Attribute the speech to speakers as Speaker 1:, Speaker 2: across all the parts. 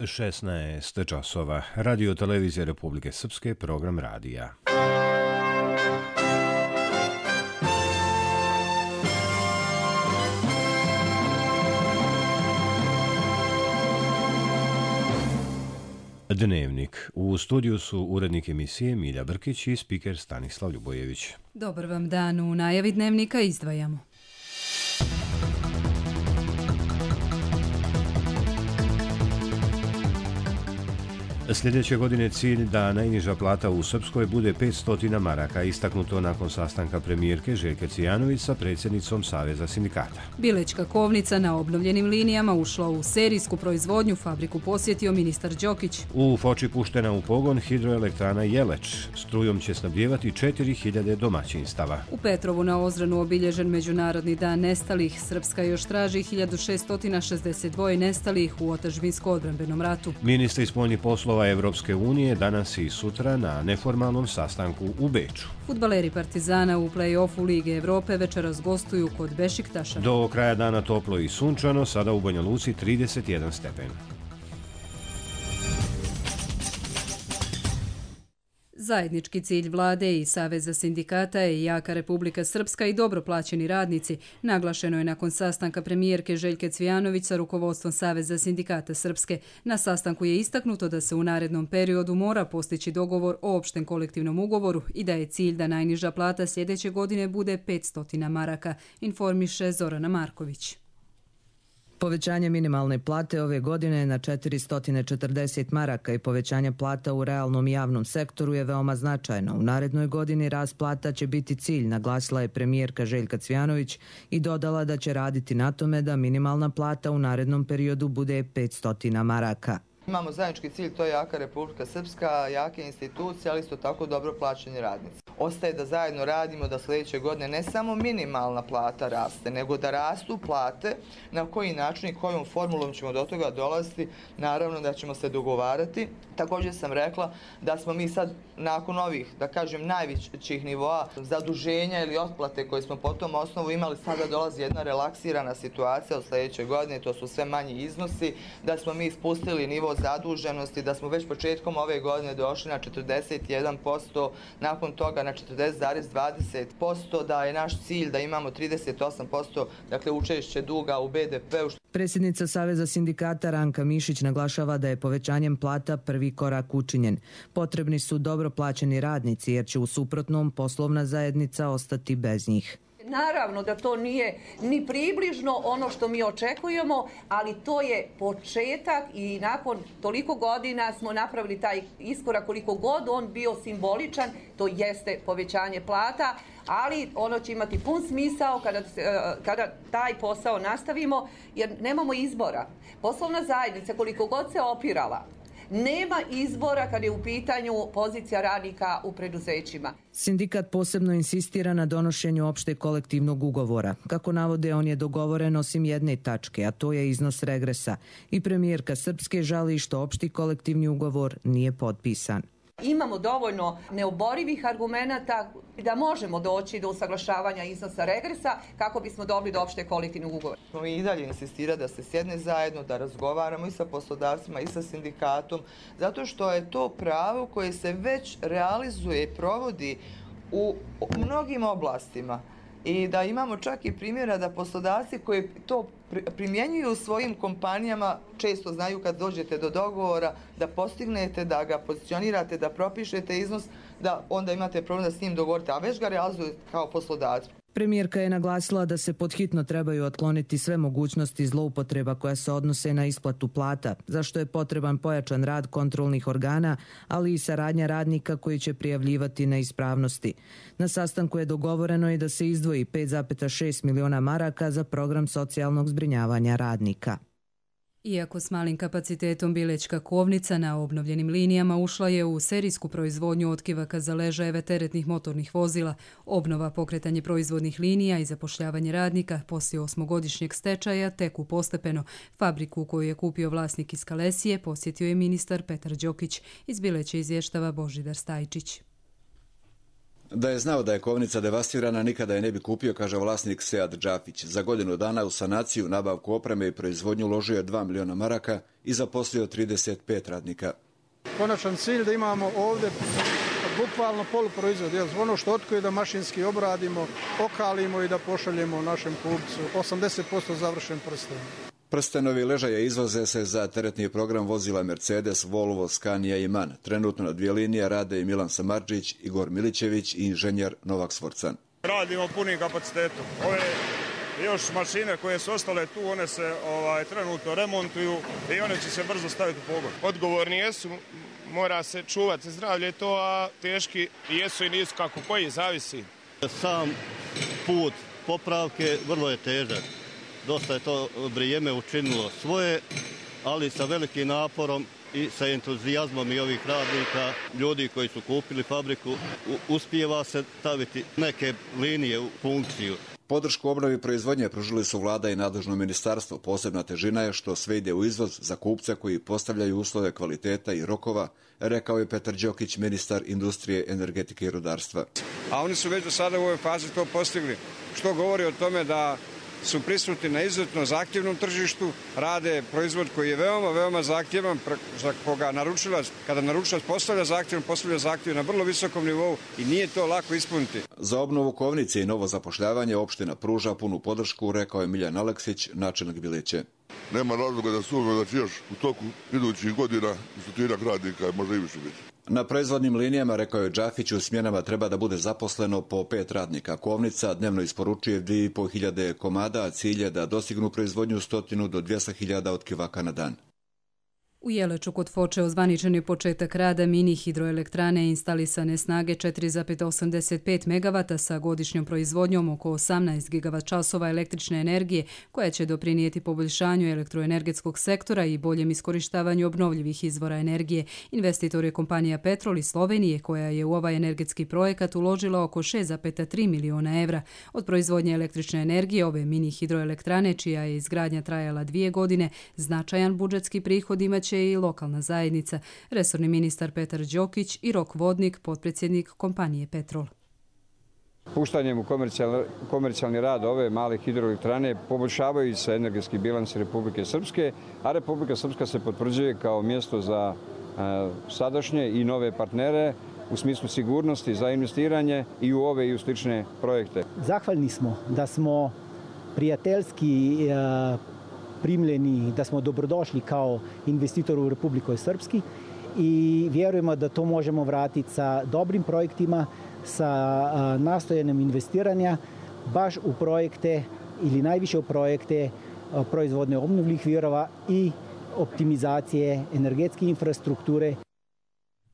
Speaker 1: 16 časova. Radio televizije Republike Srpske, program radija. Dnevnik. U studiju su urednik emisije Milja Brkić i spiker Stanislav Ljubojević.
Speaker 2: Dobar vam dan, u najavi dnevnika izdvajamo.
Speaker 1: Sljedeće godine cilj da najniža plata u Srpskoj bude 500 maraka, istaknuto nakon sastanka premijerke Željke Cvijanović sa predsjednicom Saveza sindikata.
Speaker 2: Bilečka kovnica na obnovljenim linijama ušla u serijsku proizvodnju, fabriku posjetio ministar Đokić.
Speaker 1: U Foči puštena u pogon hidroelektrana Jeleč. Strujom će snabdijevati 4000 domaćinstava.
Speaker 2: U Petrovu na Ozranu obilježen Međunarodni dan nestalih. Srpska još traži 1662 nestalih u otadžbinsko-odbrambenom ratu.
Speaker 1: Ministri spoljnih poslova Evropske unije danas i sutra na neformalnom sastanku u Beču.
Speaker 2: Fudbaleri Partizana u play-offu Lige Evrope večeras gostuju kod Bešiktaša.
Speaker 1: Do kraja dana toplo i sunčano, sada u Banja Luci 31 stepen.
Speaker 2: Zajednički cilj vlade i Saveza sindikata je jaka Republika Srpska i dobro plaćeni radnici. Naglašeno je nakon sastanka premijerke Željke Cvijanović sa rukovodstvom Saveza sindikata Srpske. Na sastanku je istaknuto da se u narednom periodu mora postići dogovor o opštem kolektivnom ugovoru i da je cilj da najniža plata sljedeće godine bude 500 maraka, informiše Zorana Marković.
Speaker 3: Povećanje minimalne plate ove godine je na 440 maraka i povećanje plata u realnom i javnom sektoru je veoma značajno. U narednoj godini rast plata će biti cilj, naglasila je premijerka Željka Cvijanović i dodala da će raditi na tome da minimalna plata u narednom periodu bude 500 maraka.
Speaker 4: Imamo zajednički cilj, to je jaka Republika Srpska, jake institucije, ali isto tako dobro plaćeni radnici. Ostaje da zajedno radimo da sljedeće godine ne samo minimalna plata raste, nego da rastu plate, na koji način i kojom formulom ćemo do toga dolaziti, naravno da ćemo se dogovarati. Također sam rekla da smo mi sad nakon ovih, da kažem, najvećih nivoa zaduženja ili otplate koje smo po tom osnovu imali, sada dolazi jedna relaksirana situacija od sljedeće godine, to su sve manji iznosi, da smo mi spustili nivo zaduženosti, da smo već početkom ove godine došli na 41%, nakon toga na 40,20%, da je naš cilj da imamo 38%, dakle učešće duga u BDP-u.
Speaker 3: Predsjednica Saveza sindikata Ranka Mišić naglašava da je povećanjem plata prvi korak učinjen. Potrebni su dobro plaćeni radnici jer će u suprotnom poslovna zajednica ostati bez njih.
Speaker 5: Naravno da to nije ni približno ono što mi očekujemo, ali to je početak i nakon toliko godina smo napravili taj iskorak, koliko god on bio simboličan, to jeste povećanje plata, ali ono će imati pun smisao kada taj posao nastavimo, jer nemamo izbora. Poslovna zajednica, koliko god se opirala, nema izbora kad je u pitanju pozicija radnika u preduzećima.
Speaker 3: Sindikat posebno insistira na donošenju opšteg kolektivnog ugovora. Kako navode, on je dogovoren osim jedne tačke, a to je iznos regresa. I premijerka Srpske žali što opšti kolektivni ugovor nije potpisan.
Speaker 5: Imamo dovoljno neoborivih argumenata da možemo doći do usaglašavanja iznosa regresa kako bismo dobili do opšte kolektivnog ugovora.
Speaker 4: Mi i dalje insistira da se sjedne zajedno, da razgovaramo i sa poslodavcima i sa sindikatom, zato što je to pravo koje se već realizuje i provodi u mnogim oblastima. I da imamo čak i primjera da poslodavci koji to primjenjuju u svojim kompanijama često znaju kad dođete do dogovora da postignete, da ga pozicionirate, da propišete iznos, da onda imate problem da s njim dogovorite, a već ga realizujete kao poslodavac.
Speaker 3: Premijerka je naglasila da se podhitno trebaju otkloniti sve mogućnosti zloupotreba koja se odnose na isplatu plata, za što je potreban pojačan rad kontrolnih organa, ali i saradnja radnika koji će prijavljivati neispravnosti. Na sastanku je dogovoreno i da se izdvoji 5,6 miliona maraka za program socijalnog zbrinjavanja radnika.
Speaker 2: Iako s malim kapacitetom Bilečka kovnica na obnovljenim linijama ušla je u serijsku proizvodnju otkivaka za ležajeve teretnih motornih vozila, obnova pokretanje proizvodnih linija i zapošljavanje radnika poslije 8-godišnjeg stečaja teku postepeno. Fabriku koju je kupio vlasnik iz Kalesije posjetio je ministar Petar Đokić. Iz Bileće izvještava Božidar Stajčić.
Speaker 6: Da je znao da je kovnica devastirana, nikada je ne bi kupio, kaže vlasnik Sead Džafić. Za godinu dana u sanaciju, nabavku opreme i proizvodnju uložio je 2 miliona maraka i zaposlio 35 radnika.
Speaker 7: Konačan cilj da imamo ovdje bukvalno poluproizvod, ono što otkuje da mašinski obradimo, okalimo i da pošaljemo našem kupcu. 80% završen prsten.
Speaker 6: Prstenovi ležaje izvoze se za teretni program vozila Mercedes, Volvo, Scania i MAN. Trenutno na 2 linije rade i Milan Samardžić, Igor Milićević i inženjer Novak Svorcan.
Speaker 8: Radimo punim kapacitetom. Ove još mašine koje su ostale tu, one se trenutno remontuju i one će se brzo staviti u pogon.
Speaker 9: Odgovorni jesu, mora se čuvati zdravlje to, a teški jesu i nisu kako koji, zavisi.
Speaker 10: Sam put popravke vrlo je težak. Dosta je to vrijeme učinilo svoje, ali sa velikim naporom i sa entuzijazmom i ovih radnika, ljudi koji su kupili fabriku, uspijeva se staviti neke linije u funkciju.
Speaker 6: Podršku obnovi proizvodnje pružili su vlada i nadležno ministarstvo. Posebna težina je što sve ide u izvoz za kupce koji postavljaju uslove kvaliteta i rokova, rekao je Petar Đokić, ministar industrije, energetike i rudarstva.
Speaker 11: A oni su već do sada u ovoj fazi to postigli, što govori o tome da su prisutni na izuzetno zahtjevnom tržištu, rade proizvod koji je veoma, veoma zahtjevan, za koga naručilac, kada naručilac postavlja zahtjev na vrlo visokom nivou i nije to lako ispuniti.
Speaker 6: Za obnovu kovnice i novo zapošljavanje opština pruža punu podršku, rekao je Miljan Aleksić, načelnik Biliće.
Speaker 12: Nema razloga da sumnjamo da će još u toku idućih godina 100 radnika, možda i više biti.
Speaker 6: Na proizvodnim linijama, rekao je Džafić, u smjenama treba da bude zaposleno po 5 radnika. Kovnica dnevno isporučuje 2.500 komada, a cilj je da dostignu proizvodnju 100 do 200.000 otkivaka na dan.
Speaker 2: U Jeleču kod Foče ozvaničen je početak rada mini hidroelektrane instalisane snage 4,85 MW sa godišnjom proizvodnjom oko 18 GWh električne energije koja će doprinijeti poboljšanju elektroenergetskog sektora i boljem iskorištavanju obnovljivih izvora energije. Investitor je kompanija Petrol iz Slovenije koja je u ovaj energetski projekat uložila oko 6,3 miliona evra. Od proizvodnje električne energije ove mini hidroelektrane, čija je izgradnja trajala 2 godine, značajan budžetski prihod imaće i lokalna zajednica. Resorni ministar Petar Đokić i Rok Vodnik, potpredsjednik kompanije Petrol.
Speaker 11: Puštanjem u komercijalni rad ove male hidroelektrane poboljšavaju se energetski bilans Republike Srpske, a Republika Srpska se potvrđuje kao mjesto za sadašnje i nove partnere u smislu sigurnosti za investiranje i u ove i u slične projekte.
Speaker 13: Zahvalni smo da smo prijateljski primljeni, da smo dobrodošli kao investitor u Republiku Srpski i vjerujemo da to možemo vratiti sa dobrim projektima, sa nastojanjem investiranja baš u projekte ili najviše u projekte proizvodne obnovljivih virova i optimizacije energetske infrastrukture.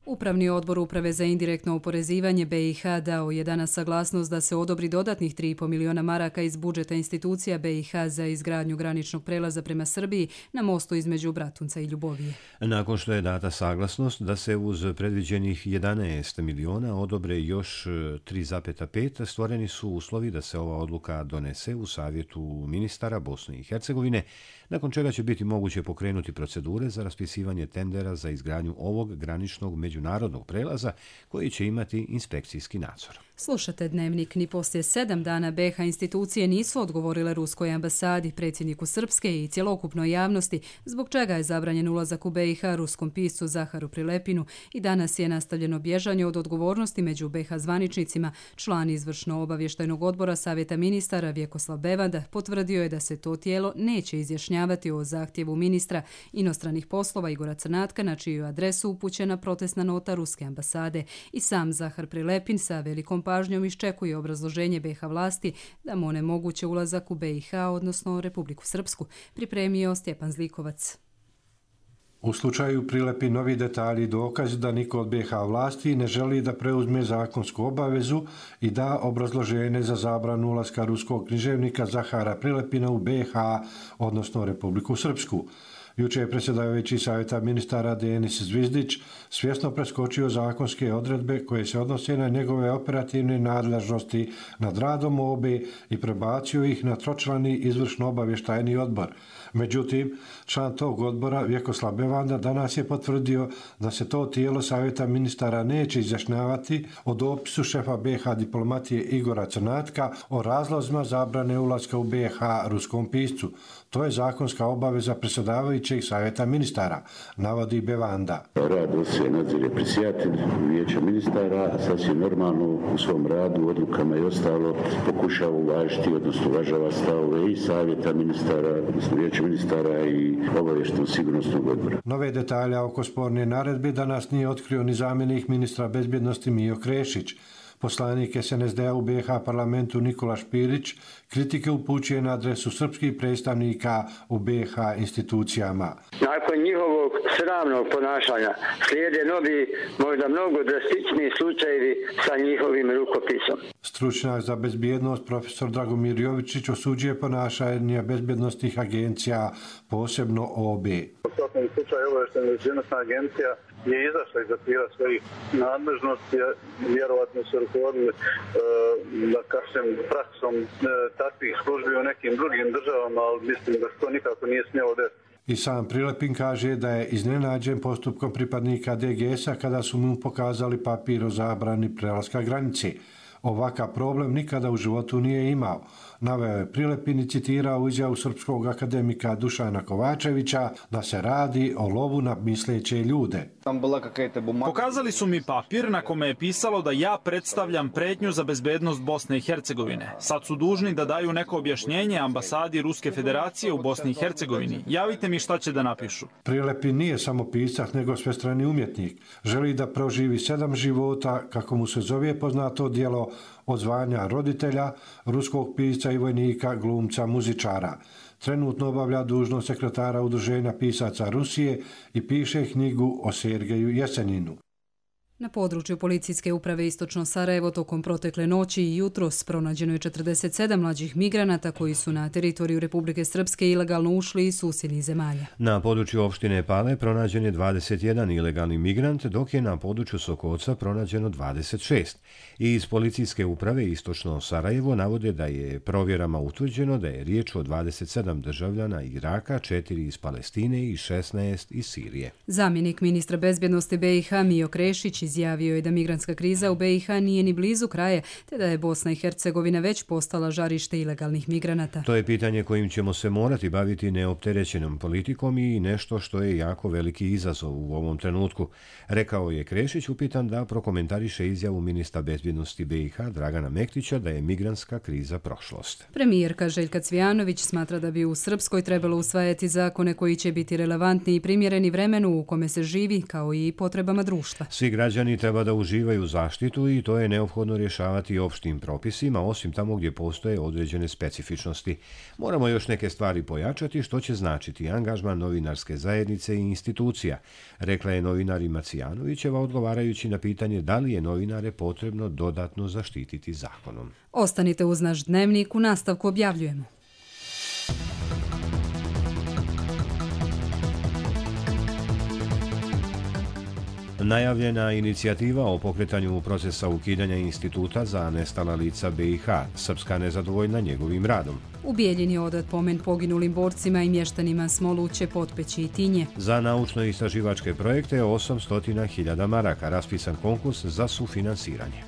Speaker 2: Upravni odbor Uprave za indirektno oporezivanje BiH dao je danas saglasnost da se odobri dodatnih 3,5 miliona maraka iz budžeta institucija BiH za izgradnju graničnog prelaza prema Srbiji na mostu između Bratunca i Ljubovije.
Speaker 1: Nakon što je data saglasnost da se uz predviđenih 11 miliona odobre još 3,5, stvoreni su uslovi da se ova odluka donese u Savjetu ministara Bosne i Hercegovine, nakon čega će biti moguće pokrenuti procedure za raspisivanje tendera za izgradnju ovog graničnog međunarodnog prelaza koji će imati inspekcijski nadzor.
Speaker 2: Slušate Dnevnik. Ni poslije 7 dana BiH institucije nisu odgovorile ruskoj ambasadi, predsjedniku Srpske i cjelokupnoj javnosti, zbog čega je zabranjen ulazak u BiH ruskom piscu Zaharu Prilepinu i danas je nastavljeno bježanje od odgovornosti među BiH zvaničnicima. Član izvršno-obavještajnog odbora Savjeta ministara Vjekoslav Bevanda potvrdio je da se to tijelo neće izjašnjavati o zahtjevu ministra inostranih poslova Igora Crnatka, na čiju adresu upućena protestna nota ruske ambasade. I sam Zahar Prilepin sa velikom pažnjom iščekuje obrazloženje BiH vlasti da mu onemoguće ulazak u BiH, odnosno Republiku Srpsku, pripremio Stjepan Zlikovac.
Speaker 14: U slučaju Prilepi novi detalji dokaz da niko od BiH vlasti ne želi da preuzme zakonsku obavezu i da obrazloženje za zabranu ulaska ruskog književnika Zahara Prilepina u BiH, odnosno Republiku Srpsku. Juče je predsjedavajući savjeta ministara Denis Zvizdić svjesno preskočio zakonske odredbe koje se odnose na njegove operativne nadležnosti nad radom OB i prebacio ih na tročlani izvršno obavještajni odbor. Međutim, član tog odbora Vjekoslav Bevanda danas je potvrdio da se to tijelo savjeta ministara neće izjašnjavati o dopisu šefa BiH diplomatije Igora Crnatka o razlozima zabrane ulaska u BiH ruskom piscu. To je zakonska obaveza predsjedavajućeg savjeta ministara, navodi Bevanda.
Speaker 15: Rad se nadzire predsjedatelj vijeća ministara, sasvim normalno u svom radu, odlukama i ostalo pokušava uvažiti, odnosno uvažava stavove i savjeta ministara, odnosno vijeća ministara i obavještajnog sigurnosnog odbora.
Speaker 14: Nove detalje oko sporne naredbe danas nije otkrio ni zamjenik ministra bezbjednosti Mijo Krešić. Poslanik SNSD-a u BiH parlamentu Nikola Špirić kritike upućuje na adresu srpskih predstavnika u BiH institucijama.
Speaker 16: Nakon njihovog sramnog ponašanja slijede novi, možda mnogo drastičniji slučajevi sa njihovim rukopisom.
Speaker 14: Stručnjak za bezbjednost profesor Dragomir Jovičić osuđuje ponašanje bezbjednostnih agencija, posebno OB.
Speaker 17: U svakom slučaju obavještajna bezbjednosna agencija je izašla iz okvira svojih nadležnosti, vjerovatno se rukovodili da kažem praksom takvih službi u nekim drugim državama, ali mislim da to nikako nije smjelo desiti.
Speaker 14: I sam Prilepin kaže da je iznenađen postupkom pripadnika DGS-a kada su mu pokazali papir o zabrani prelaska granice. Ovakav problem nikada u životu nije imao. Naveo je Prilepin i citirao izjavu srpskog akademika Dušana Kovačevića da se radi o lovu na misleće ljude.
Speaker 18: Pokazali su mi papir na kome je pisalo da ja predstavljam pretnju za bezbednost Bosne i Hercegovine. Sad su dužni da daju neko objašnjenje ambasadi Ruske federacije u Bosni i Hercegovini. Javite mi šta će da napišu.
Speaker 14: Prilepin nije samo pisac, nego svestrani umjetnik. Želi da proživi 7 života, kako mu se zove poznato djelo, od zvanja roditelja, ruskog pisca i vojnika, glumca, muzičara. Trenutno obavlja dužnost sekretara Udruženja pisaca Rusije i piše knjigu o Sergeju Jeseninu.
Speaker 2: Na području policijske uprave Istočno Sarajevo tokom protekle noći i jutros pronađeno je 47 mlađih migranata koji su na teritoriju Republike Srpske ilegalno ušli iz susjednih zemalja.
Speaker 1: Na području opštine Pale pronađen je 21 ilegalni migrant, dok je na području Sokoca pronađeno 26. I iz policijske uprave Istočno Sarajevo navode da je provjerama utvrđeno da je riječ o 27 državljana Iraka, 4 iz Palestine i 16 iz Sirije.
Speaker 2: Zamjenik ministra bezbjednosti BiH Mijo Krešić izjavio je da migrantska kriza u BiH nije ni blizu kraja, te da je Bosna i Hercegovina već postala žarište ilegalnih migranata.
Speaker 1: To je pitanje kojim ćemo se morati baviti neopterećenom politikom i nešto što je jako veliki izazov u ovom trenutku, rekao je Krešić upitan da prokomentariše izjavu ministra bezbjednosti BiH Dragana Mektića da je migrantska kriza prošlost.
Speaker 2: Premijerka Željka Cvijanović smatra da bi u Srpskoj trebalo usvajati zakone koji će biti relevantni i primjereni vremenu u kome se živi, kao i potrebama društva.
Speaker 1: Svi građani treba da uživaju zaštitu i to je neophodno rješavati opštim propisima, osim tamo gdje postoje određene specifičnosti. Moramo još neke stvari pojačati, što će značiti angažman novinarske zajednice i institucija, rekla je novinarima Cijanovićeva odgovarajući na pitanje da li je novinare potrebno dodatno zaštititi zakonom.
Speaker 2: Ostanite uz naš dnevnik, u nastavku objavljujemo.
Speaker 1: Najavljena inicijativa o pokretanju procesa ukidanja instituta za nestala lica BiH, Srpska nezadovoljna njegovim radom.
Speaker 2: U Bijeljini je odat pomen poginulim borcima i mještanima Smoluće, Potpeći i Tinje.
Speaker 1: Za naučno-istraživačke projekte 800.000 maraka raspisan konkurs za sufinansiranje.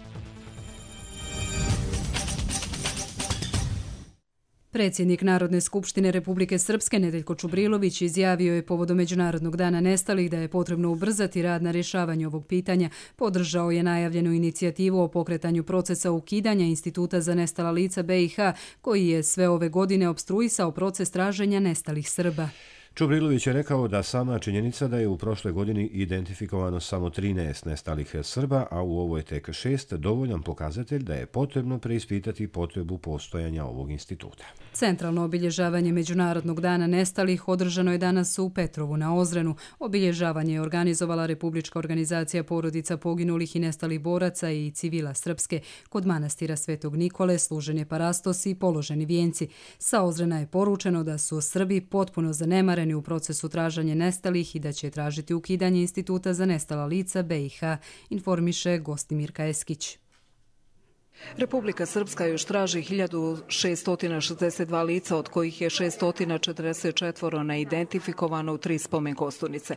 Speaker 2: Predsjednik Narodne skupštine Republike Srpske Nedeljko Čubrilović izjavio je povodom Međunarodnog dana nestalih da je potrebno ubrzati rad na rješavanju ovog pitanja. Podržao je najavljenu inicijativu o pokretanju procesa ukidanja Instituta za nestala lica BiH, koji je sve ove godine opstruisao proces traženja nestalih Srba.
Speaker 1: Čubrilović je rekao da sama činjenica da je u prošloj godini identifikovano samo 13 nestalih Srba, a u ovoj tek 6, dovoljan pokazatelj da je potrebno preispitati potrebu postojanja ovog instituta.
Speaker 2: Centralno obilježavanje Međunarodnog dana nestalih održano je danas u Petrovu na Ozrenu. Obilježavanje je organizovala Republička organizacija porodica poginulih i nestalih boraca i civila Srpske. Kod manastira Svetog Nikole služen je parastos i položeni vijenci. Sa Ozrena je poručeno da su Srbi potpuno zanemareni umoreni u procesu traženja nestalih i da će tražiti ukidanje Instituta za nestala lica BiH, informiše Gostimirka Eskić.
Speaker 19: Republika Srpska još traži 1662 lica, od kojih je 644 neidentifikovano u 3 spomen kosturnice.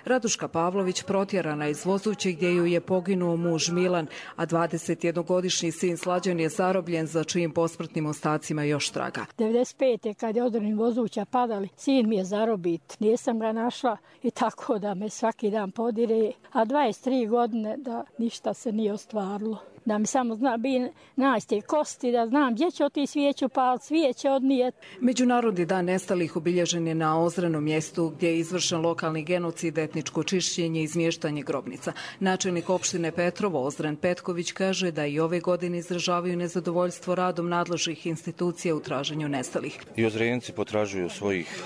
Speaker 19: Raduška Pavlović protjerana iz Vozuće gdje ju je poginuo muž Milan, a 21-godišnji sin Slađan je zarobljen, za čijim posmrtnim ostacima još traga.
Speaker 20: 95. kad je određeni Vozuća padali, sin mi je zarobit. Nisam ga našla i tako da me svaki dan podire, a 23 godine da ništa se nije ostvarilo. Da mi samo naći te kosti, da znam gdje će otići svijeću, pa svijeće odnijeti.
Speaker 19: Međunarodni dan nestalih obilježen je na Ozrenom mjestu gdje je izvršen lokalni genocid, etničko čišćenje i izmještanje grobnica. Načelnik opštine Petrovo, Ozren Petković, kaže da i ove godine izražavaju nezadovoljstvo radom nadležnih institucija u traženju nestalih.
Speaker 21: I Ozrenci potražuju svojih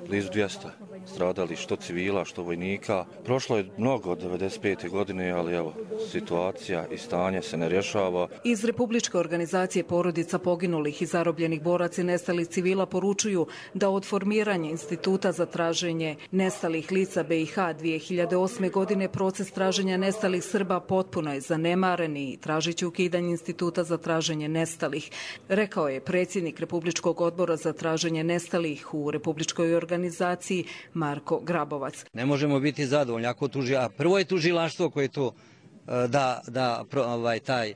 Speaker 21: blizu 200 stradali, što civila, što vojnika. Prošlo je mnogo od 95. godine, ali evo, situacija i stanje se ne rješava.
Speaker 19: Iz Republičke organizacije porodica poginulih i zarobljenih boraca i nestalih civila poručuju da od formiranja Instituta za traženje nestalih lica BiH 2008. godine proces traženja nestalih Srba potpuno je zanemaren i tražit će ukidanje Instituta za traženje nestalih, rekao je predsjednik Republičkog odbora za traženje nestalih u Republičkoj organizaciji Marko Grabovac.
Speaker 22: Ne možemo biti zadovoljni ako a prvo je tužilaštvo koje to taj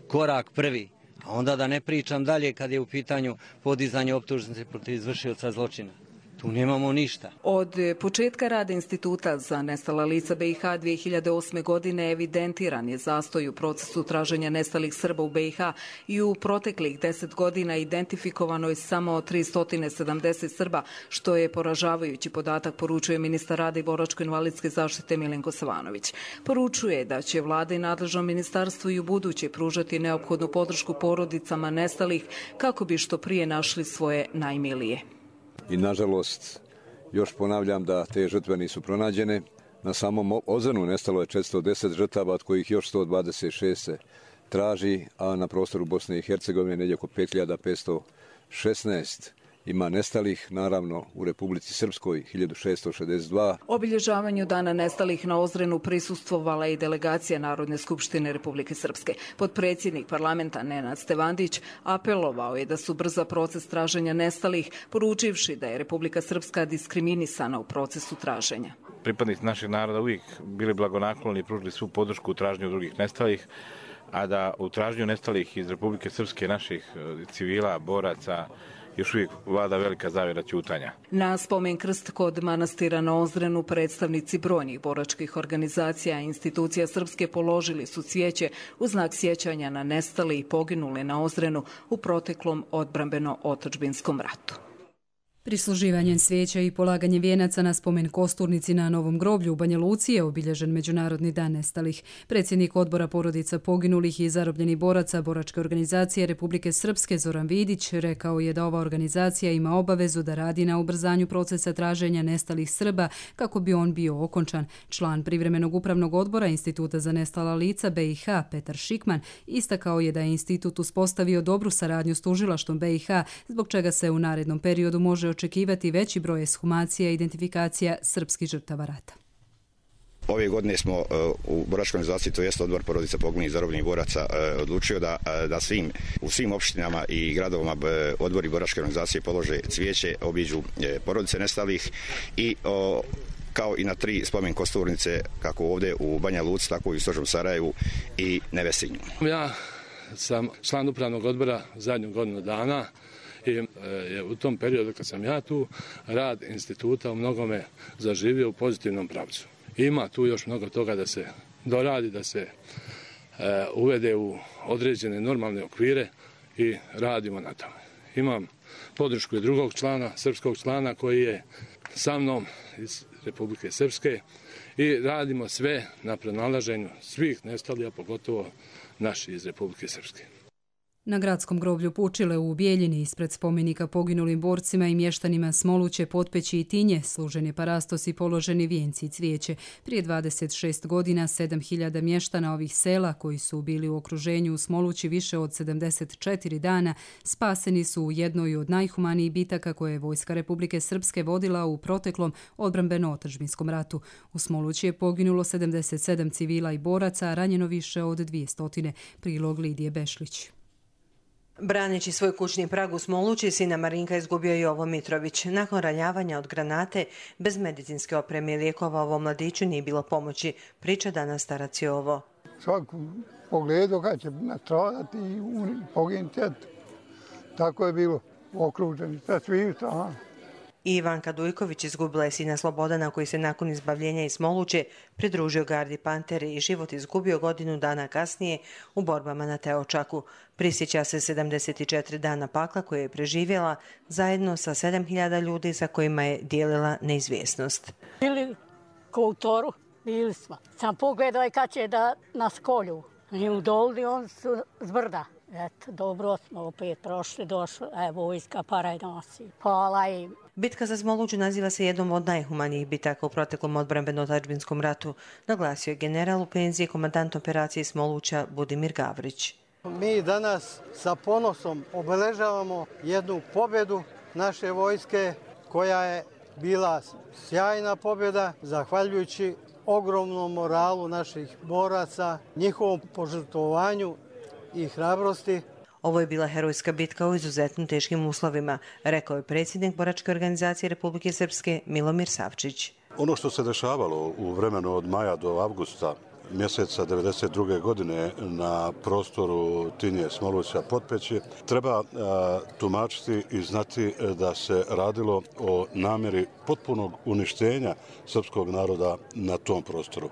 Speaker 22: korak prvi, a onda da ne pričam dalje kad je u pitanju podizanje optužnice protiv izvršioca zločina. Tu nemamo ništa.
Speaker 19: Od početka rada Instituta za nestala lica BiH 2008. godine evidentiran je zastoj u procesu traženja nestalih Srba u BiH i u proteklih 10 godina identifikovano je samo 370 Srba, što je poražavajući podatak, poručuje ministar rada i boračko-invalidske zaštite Milenko Savanović. Poručuje da će vlada i nadležno ministarstvo i u buduće pružati neophodnu podršku porodicama nestalih kako bi što prije našli svoje najmilije.
Speaker 23: I nažalost, još ponavljam da te žrtve nisu pronađene. Na samom Ozrenu nestalo je 410 žrtava, od kojih još 126 se traži, a na prostoru Bosne i Hercegovine negdje oko 5516 ima nestalih, naravno u Republici Srpskoj 1662.
Speaker 19: Obilježavanju dana nestalih na Ozrenu prisustvovala i delegacija Narodne skupštine Republike Srpske. Potpredsjednik parlamenta Nenad Stevandić apelovao je da su brza proces traženja nestalih, poručivši da je Republika Srpska diskriminisana u procesu traženja.
Speaker 24: Pripadnici našeg naroda uvijek bili blagonakloni i pružili svu podršku u traženju drugih nestalih, a da u traženju nestalih iz Republike Srpske, naših civila, boraca, još uvijek vlada velika zavjera ćutanja.
Speaker 19: Na spomen krst kod manastira na Ozrenu predstavnici brojnih boračkih organizacija i institucija srpske položili su cvijeće u znak sjećanja na nestale i poginule na Ozrenu u proteklom odbrambeno-otadžbinskom ratu.
Speaker 2: Prisluživanjem svijeća i polaganje vijenaca na spomen kosturnici na Novom groblju u Banja Luci je obilježen Međunarodni dan nestalih. Predsjednik odbora porodica poginulih i zarobljenih boraca Boračke organizacije Republike Srpske Zoran Vidić rekao je da ova organizacija ima obavezu da radi na ubrzanju procesa traženja nestalih Srba kako bi on bio okončan. Član privremenog upravnog odbora Instituta za nestala lica BiH Petar Šikman istakao je da je institut uspostavio dobru saradnju s tužilaštvom BiH, zbog čega se u narednom periodu može očekivati veći broj ekshumacija i identifikacija srpskih žrtava rata.
Speaker 25: Ove godine smo u Boračkoj organizaciji, to jest odbor porodica poginulih i zarobljenih boraca, odlučio da u svim opštinama i gradovima odbori Boračke organizacije polože cvijeće, obiđu porodice nestalih i kao i na 3 spomen kosturnice, kako ovdje u Banja Luci, tako i u Stožnom Sarajevu i Nevesinju.
Speaker 26: Ja sam član upravnog odbora zadnju godinu dana i u tom periodu kad sam ja tu, rad instituta u mnogome zaživio u pozitivnom pravcu. Ima tu još mnogo toga da se doradi, da se uvede u određene normalne okvire i radimo na tome. Imam podršku i drugog člana, srpskog člana koji je sa mnom iz Republike Srpske i radimo sve na pronalaženju svih nestalih, a pogotovo naši iz Republike Srpske.
Speaker 2: Na gradskom groblju Pučile u Bijeljini ispred spomenika poginulim borcima i mještanima Smoluće, Potpeći i Tinje služen je parastos i položeni vijenci i cvijeće. Prije 26 godina 7.000 mještana ovih sela koji su bili u okruženju u Smolući više od 74 dana spaseni su u jednoj od najhumanijih bitaka koje je Vojska Republike Srpske vodila u proteklom odbrambeno-otadžbinskom ratu. U Smolući je poginulo 77 civila i boraca, a ranjeno više od 200. Prilog Lidije Bešlić.
Speaker 3: Braneći svoj kućni prag u Smolući, sina Marinka izgubio Jovo Mitrović. Nakon ranjavanja od granate, bez medicinske opreme i lijekova ovom mladiću nije bilo pomoći, priča danas starac Jovo.
Speaker 4: Svaku pogledu kad će nastradati i poginuti, tako je bilo okruženi sa svih strana.
Speaker 3: Ivanka Dujković izgubila je sina Slobodana koji se nakon izbavljenja iz Smoluće pridružio gardi Pantere i život izgubio godinu dana kasnije u borbama na Teočaku. Prisjeća se 74 dana pakla koje je preživjela zajedno sa 7.000 ljudi sa kojima je dijelila neizvjesnost.
Speaker 20: Bili ko u toru, bili smo. Sam pogledao kad će da nas kolju. I u dolni on su zbrda. Eto, dobro smo opet prošli, došli, vojska para i nosi. Hvala im.
Speaker 3: Bitka za Smoluću naziva se jednom od najhumanijih bitaka u proteklom odbrambeno-otadžbinskom ratu, naglasio je general u penziji komandant operacije Smoluća Budimir Gavrić.
Speaker 5: Mi danas sa ponosom obeležavamo jednu pobjedu naše vojske koja je bila sjajna pobjeda zahvaljujući ogromnom moralu naših boraca, njihovom požrtvovanju i hrabrosti.
Speaker 3: Ovo je bila herojska bitka u izuzetno teškim uslovima, rekao je predsjednik Boračke organizacije Republike Srpske Milomir Savčić.
Speaker 7: Ono što se dešavalo u vremenu od maja do avgusta mjeseca 1992. godine na prostoru Tinje, Smoluća, Potpeći, treba tumačiti i znati da se radilo o namjeri potpunog uništenja srpskog naroda na tom prostoru.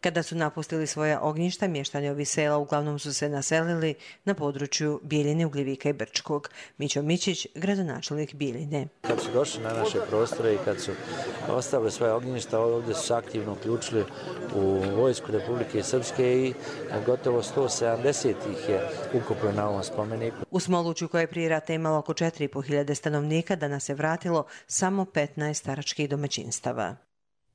Speaker 3: Kada su napustili svoja ognjišta, mještani ovih sela uglavnom su se naselili na području Bijeljine, Ugljevika i Brčkog. Mićo Mićić, gradonačelnik Bijeljine.
Speaker 8: Kad su došli na naše prostore i kad su ostavili svoje ognjišta, ovdje su se aktivno uključili u Vojsku Republike Srpske i gotovo 170 ih je ukupno na ovom spomeniku.
Speaker 3: U Smoluću, koje je prije rata imalo oko 4.500 stanovnika, danas se vratilo samo 15 staračkih domaćinstava.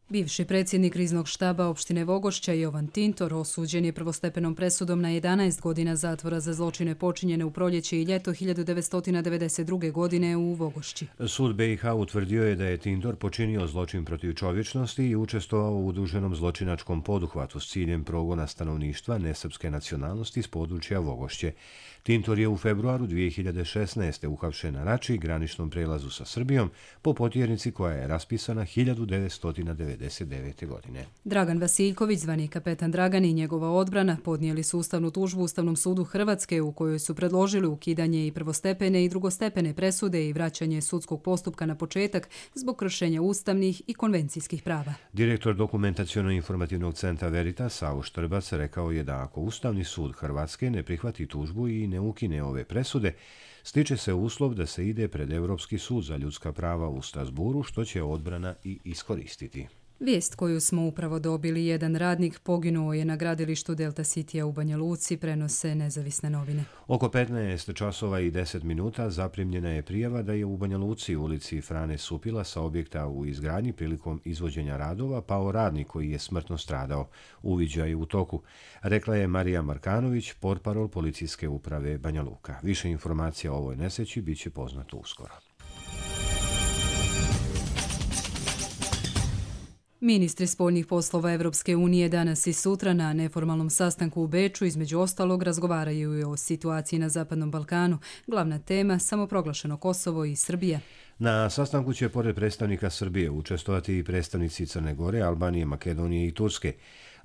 Speaker 2: Bivši predsjednik kriznog štaba opštine Vogošća Jovan Tintor osuđen je prvostepenom presudom na 11 godina zatvora za zločine počinjene u proljeće i ljeto 1992. godine u Vogošći.
Speaker 1: Sud BiH utvrdio je da je Tintor počinio zločin protiv čovječnosti i učestvovao u udruženom zločinačkom poduhvatu s ciljem progona stanovništva nesrpske nacionalnosti s područja Vogošće. Tintor je u februaru 2016. uhapšen na Rači, graničnom prelazu sa Srbijom, po potjernici koja je raspisana 1999. godine.
Speaker 2: Dragan Vasiljković, zvani kapetan Dragan i njegova odbrana podnijeli su ustavnu tužbu Ustavnom sudu Hrvatske u kojoj su predložili ukidanje i prvostepene i drugostepene presude i vraćanje sudskog postupka na početak zbog kršenja ustavnih i konvencijskih prava.
Speaker 1: Direktor dokumentaciono-informativnog centra Veritas, Savo Štrbac, rekao je da ako Ustavni sud Hrvatske ne prihvati tužbu i ne ukine ove presude, stiče se uslov da se ide pred Europski sud za ljudska prava u Strasburu, što će odbrana i iskoristiti.
Speaker 2: Vijest koju smo upravo dobili, jedan radnik poginuo je na gradilištu Delta Citya u Banja Luci, prenose nezavisne novine.
Speaker 1: Oko 15 časova i 10 minuta zaprimljena je prijava da je u Banja Luci u ulici Frane Supila sa objekta u izgradnji prilikom izvođenja radova pao radnik koji je smrtno stradao. Uviđaj je u toku, rekla je Marija Markanović, portparol policijske uprave Banja Luka. Više informacija o ovoj nesreći bit će poznato uskoro.
Speaker 2: Ministri spoljnih poslova Evropske unije danas i sutra na neformalnom sastanku u Beču između ostalog razgovaraju i o situaciji na Zapadnom Balkanu. Glavna tema samoproglašeno Kosovo i Srbija.
Speaker 1: Na sastanku će pored predstavnika Srbije učestvovati i predstavnici Crne Gore, Albanije, Makedonije i Turske.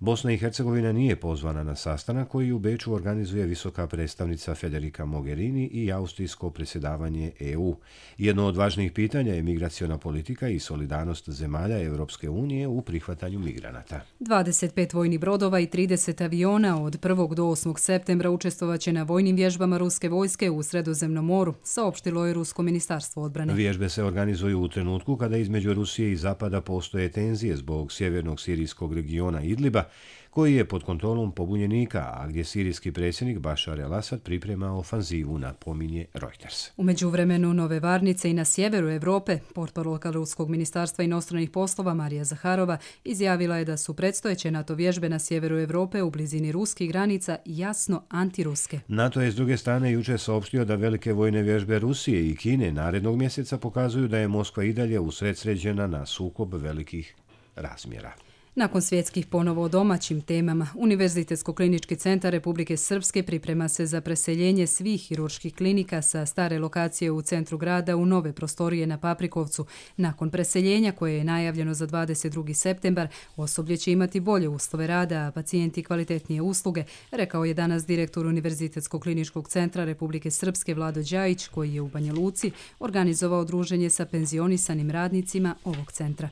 Speaker 1: Bosna i Hercegovina nije pozvana na sastanak koji u Beču organizuje visoka predstavnica Federica Mogherini i austrijsko predsjedavanje EU. Jedno od važnijih pitanja je migraciona politika i solidarnost zemalja Evropske unije u prihvatanju migranata.
Speaker 2: 25 vojnih brodova i 30 aviona od 1. do 8. septembra učestvovaće na vojnim vježbama ruske vojske u Sredozemnom moru, saopštilo je Rusko ministarstvo odbrane.
Speaker 1: Vježbe se organizuju u trenutku kada između Rusije i Zapada postoje tenzije zbog sjevernog sirijskog regiona Idliba, koji je pod kontrolom pobunjenika, a gdje sirijski predsjednik Bašar el-Asad priprema ofanzivu, napominje Reuters.
Speaker 2: U međuvremenu Nove Varnice i na sjeveru Evrope, portparolka Ruskog ministarstva inostranih poslova Marija Zaharova izjavila je da su predstojeće NATO vježbe na sjeveru Evrope u blizini ruskih granica jasno antiruske.
Speaker 1: NATO je s druge strane jučer saopštio da velike vojne vježbe Rusije i Kine narednog mjeseca pokazuju da je Moskva i dalje usredsređena na sukob velikih razmjera.
Speaker 2: Nakon svjetskih ponovo o domaćim temama, Univerzitetsko-klinički centar Republike Srpske priprema se za preseljenje svih hirurških klinika sa stare lokacije u centru grada u nove prostorije na Paprikovcu. Nakon preseljenja, koje je najavljeno za 22. septembar, osoblje će imati bolje uslove rada, a pacijenti kvalitetnije usluge, rekao je danas direktor Univerzitetsko-kliničkog centra Republike Srpske Vlado Đajić, koji je u Banja Luci organizovao druženje sa penzionisanim radnicima ovog centra.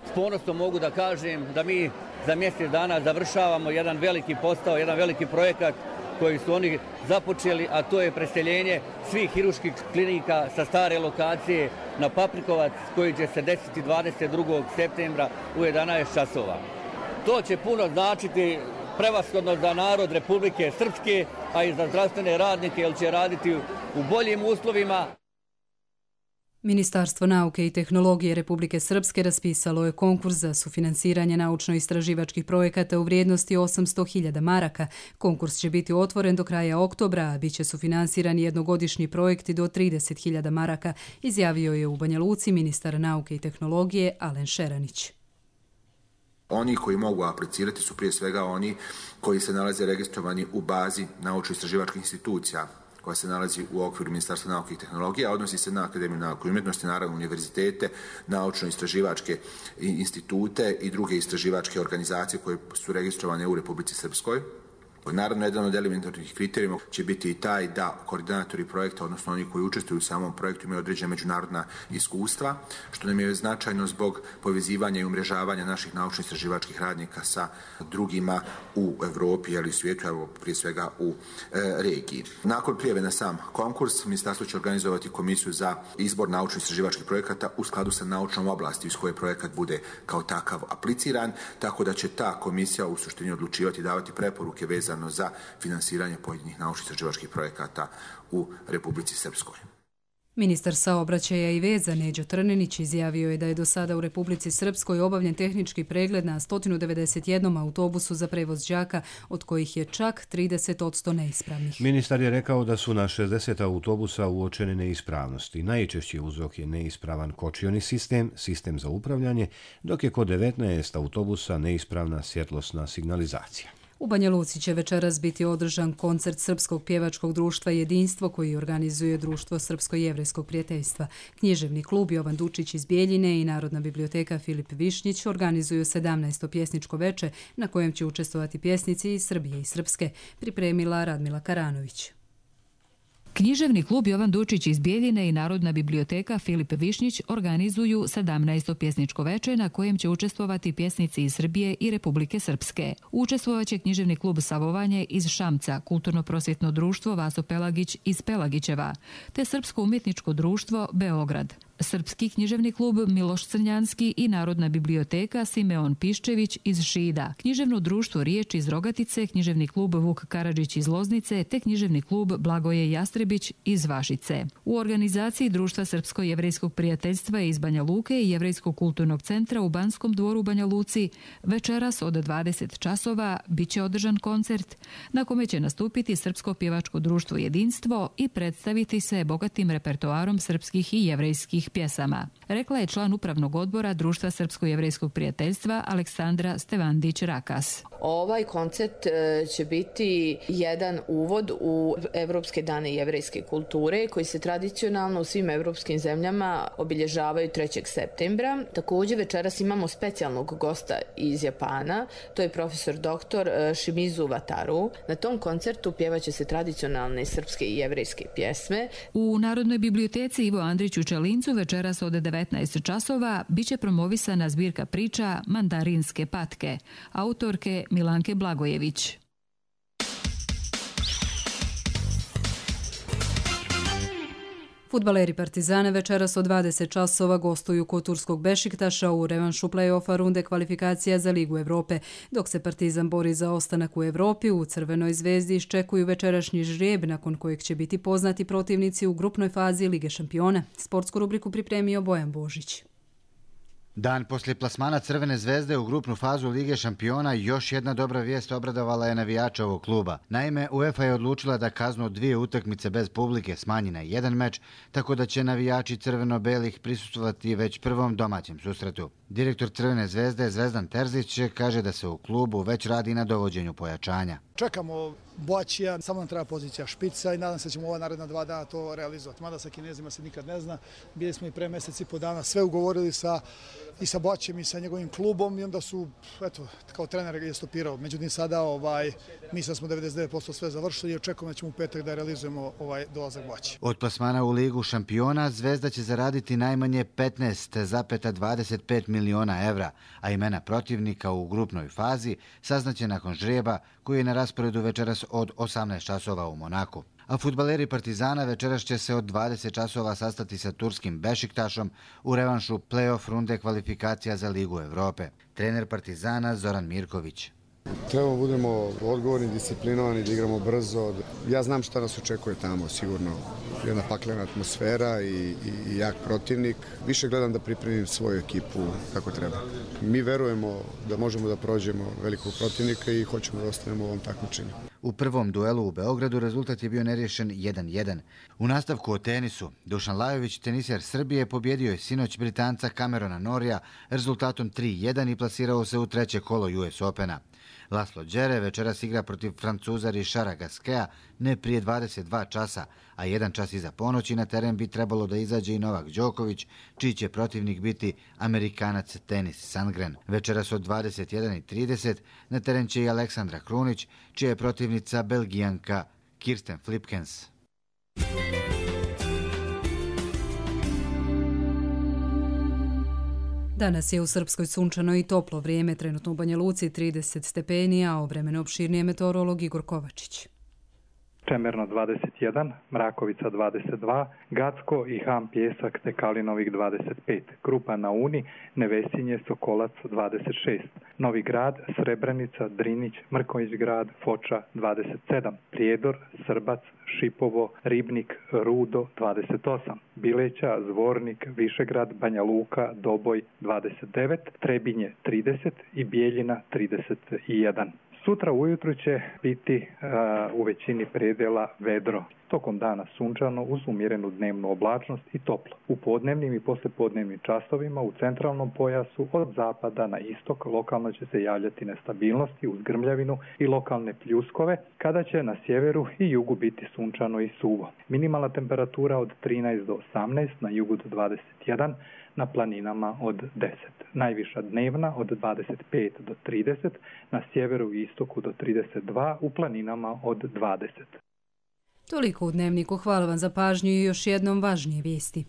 Speaker 6: S ponosom mogu da kažem da mi za mjesec dana završavamo jedan veliki posao, jedan veliki projekat koji su oni započeli, a to je preseljenje svih hirurških klinika sa stare lokacije na Paprikovac, koji će se desiti 22. septembra u 11 časova. To će puno značiti prevashodno za narod Republike Srpske, a i za zdravstvene radnike, jer će raditi u boljim uslovima.
Speaker 2: Ministarstvo nauke i tehnologije Republike Srpske raspisalo je konkurs za sufinansiranje naučno-istraživačkih projekata u vrijednosti 800.000 maraka. Konkurs će biti otvoren do kraja oktobra, a bit će sufinansirani jednogodišnji projekti do 30.000 maraka, izjavio je u Banja Luci ministar nauke i tehnologije Alen Šeranić.
Speaker 9: Oni koji mogu aplicirati su prije svega oni koji se nalaze registrovani u bazi naučno-istraživačkih institucija koja se nalazi u okviru Ministarstva nauke i tehnologije, a odnosi se na Akademiju nauke i umjetnosti, naravno univerzitete, naučno-istraživačke institute i druge istraživačke organizacije koje su registrovane u Republici Srpskoj. Naravno, jedan od elementarnih kriterijuma će biti i taj da koordinatori projekta, odnosno oni koji učestvuju u samom projektu, imaju određena međunarodna iskustva, što nam je značajno zbog povezivanja i umrežavanja naših naučno-istraživačkih radnika sa drugima u Evropi ili svijetu, evo prije svega u regiji. Nakon prijave na sam konkurs, ministarstvo će organizovati komisiju za izbor naučno-istraživačkih projekata u skladu sa naučnom oblasti iz koje projekat bude kao takav apliciran, tako da će ta komisija u suštini odlučivati i davati preporuke vezane za finansiranje pojedinih naučno-istraživačkih projekata u Republici Srpskoj.
Speaker 2: Ministar saobraćaja i veza Neđo Trnenić izjavio je da je do sada u Republici Srpskoj obavljen tehnički pregled na 191 autobusu za prevoz đaka, od kojih je čak 30% neispravnih.
Speaker 1: Ministar je rekao da su na 60 autobusa uočene neispravnosti. Najčešći uzrok je neispravan kočioni sistem, sistem za upravljanje, dok je kod 19 autobusa neispravna svjetlosna signalizacija.
Speaker 2: U Banja Luci će večeras biti održan koncert Srpskog pjevačkog društva Jedinstvo, koji organizuje Društvo Srpsko-jevrejskog prijateljstva. Književni klub Jovan Dučić iz Bijeljine i Narodna biblioteka Filip Višnjić organizuju 17. pjesničko veče na kojem će učestvovati pjesnici iz Srbije i Srpske, pripremila Radmila Karanović.
Speaker 10: Književni klub Jovan Dučić iz Bijeljine i Narodna biblioteka Filip Višnjić organizuju 17. pjesničko veče na kojem će učestvovati pjesnici iz Srbije i Republike Srpske. Učestvovaće književni klub Savovanje iz Šamca, kulturno-prosvjetno društvo Vaso Pelagić iz Pelagićeva, te Srpsko umjetničko društvo Beograd. Srpski književni klub Miloš Crnjanski i Narodna biblioteka Simeon Piščević iz Šida, književno društvo Riječ iz Rogatice, književni klub Vuk Karadžić iz Loznice te književni klub Blagoje Jastrebić iz Vašice. U organizaciji Društva Srpsko-jevrejskog prijateljstva iz Banja Luke i Jevrejskog kulturnog centra u Banskom dvoru u Banja Luci večeras od 20 časova biće održan koncert na kome će nastupiti Srpsko pjevačko društvo Jedinstvo i predstaviti se bogatim repertoarom srpskih i jevrejskih pjesama, rekla je član upravnog odbora Društva Srpsko-jevrejskog prijateljstva Aleksandra Stevandić-Rakas.
Speaker 11: Ovaj koncert će biti jedan uvod u Evropske dane jevrejske kulture koji se tradicionalno u svim evropskim zemljama obilježavaju 3. septembra. Također večeras imamo specijalnog gosta iz Japana, to je profesor dr. Shimizu Wataru. Na tom koncertu pjevaće se tradicionalne srpske i jevrejske pjesme.
Speaker 10: U Narodnoj biblioteci Ivo Andrić u Čelincu večeras od 19 časova biće promovisana zbirka priča Mandarinske patke, autorke Milanke Blagojević.
Speaker 2: Fudbaleri Partizana večeras od 20 časova gostuju kod turskog Bešiktaša u revanšu play-offa runde kvalifikacija za Ligu Evrope. Dok se Partizan bori za ostanak u Evropi, u Crvenoj zvezdi iščekuju večerašnji žrijeb nakon kojeg će biti poznati protivnici u grupnoj fazi Lige šampiona. Sportsku rubriku pripremio Bojan Božić.
Speaker 12: Dan poslije plasmana Crvene zvezde u grupnu fazu Lige šampiona još jedna dobra vijest obradovala je navijača ovog kluba. Naime, UEFA je odlučila da kaznu od 2 utakmice bez publike smanji na 1 meč, tako da će navijači crveno-belih prisustvovati već prvom domaćem susretu. Direktor Crvene zvezde Zvezdan Terzić kaže da se u klubu već radi na dovođenju pojačanja.
Speaker 13: Čekamo Boačija, samo nam treba pozicija špica i nadam se da ćemo ova naredna 2 dana to realizovati. Mada sa Kinezima se nikad ne zna. Bili smo i pre mjesec i po dana sve ugovorili i sa Boačijem i sa njegovim klubom i onda su, eto, kao trener je stopirao. Međutim, sada mi sad smo 99% sve završili i očekujemo da ćemo u petak da realizujemo dolazak Boačija.
Speaker 12: Od plasmana u Ligu šampiona Zvezda će zaraditi najmanje 15,25 miliona evra, a imena protivnika u grupnoj fazi saznaće nakon žrijeba koji je na rasporedu večeras od 18 časova u Monaku. A fudbaleri Partizana večeras će se od 20 časova sastati sa turskim Bešiktašom u revanšu play-off runde kvalifikacija za Ligu Evrope. Trener Partizana Zoran Mirković.
Speaker 15: Trebamo budemo odgovorni, disciplinovani, da igramo brzo. Ja znam šta nas očekuje tamo, sigurno. Jedna paklena atmosfera i jak protivnik. Više gledam da pripremim svoju ekipu kako treba. Mi verujemo da možemo da prođemo velikog protivnika i hoćemo da ostanemo u ovom takmičenju.
Speaker 12: U prvom duelu u Beogradu rezultat je bio neriješen 1-1. U nastavku o tenisu, Dušan Lajović, teniser Srbije, pobjedio je sinoć Britanca Camerona Norrija rezultatom 3-1 i plasirao se u 3. kolo US Opena. Laslo Đere večeras igra protiv Francuza Richarda Gasqueta ne prije 22 časa, a 1 čas iza ponoći na teren bi trebalo da izađe i Novak Đoković, čiji će protivnik biti Amerikanac Denis Sandgren. Večeras od 21:30 na teren će i Aleksandra Krunić, čija je protivnica Belgijanka Kirsten Flipkens.
Speaker 2: Danas je u Srpskoj sunčano i toplo vrijeme, trenutno u Banja Luci 30 stepeni, a o vremenu opširnije meteorolog Igor Kovačić.
Speaker 16: Čemerno 21, Mrakovica 22, Gacko i Ham Pjesak te Kalinovih 25, Krupa na Uni, Nevesinje, Sokolac 26, Novi Grad, Srebrenica, Drinić, Mrkonjić grad, Foča 27, Prijedor, Srbac, Šipovo, Ribnik, Rudo 28, Bileća, Zvornik, Višegrad, Banja Luka, Doboj 29, Trebinje 30 i Bijeljina 31. Sutra ujutru će biti u većini predjela vedro. Tokom dana sunčano uz umjerenu dnevnu oblačnost i toplo. U podnevnim i poslijepodnevnim časovima u centralnom pojasu od zapada na istok lokalno će se javljati nestabilnosti uz grmljavinu i lokalne pljuskove, kada će na sjeveru i jugu biti sunčano i suvo. Minimalna temperatura od 13 do 18, na jugu do 21, na planinama od 10. Najviša dnevna od 25 do 30, na sjeveru i istoku do 32, u planinama od 20.
Speaker 2: Toliko u Dnevniku, hvala vam za pažnju i još jednom važnije vijesti.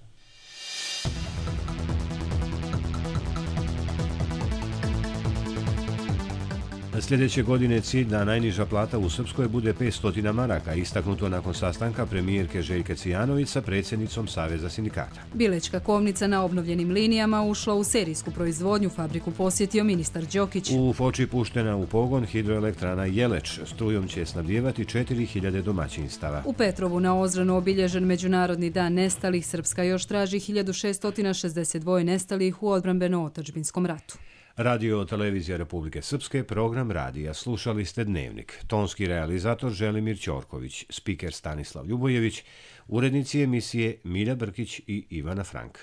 Speaker 1: Sljedeće godine cilj da najniža plata u Srpskoj bude 500 maraka, istaknuto nakon sastanka premijerke Željke Cvijanović sa predsjednicom Saveza sindikata.
Speaker 2: Bilečka kovnica na obnovljenim linijama ušla u serijsku proizvodnju, fabriku posjetio ministar Đokić.
Speaker 1: U Foči puštena u pogon hidroelektrana Jeleč, strujom će snabdijevati 4000 domaćinstava.
Speaker 2: U Petrovu na Ozranu obilježen Međunarodni dan nestalih, Srpska još traži 1662 nestalih u odbrambeno-otadžbinskom ratu.
Speaker 1: Radio Televizija Republike Srpske, program radija. Slušali ste Dnevnik. Tonski realizator Želimir Ćorković, spiker Stanislav Ljubojević, urednici emisije Milja Brkić i Ivana Frank.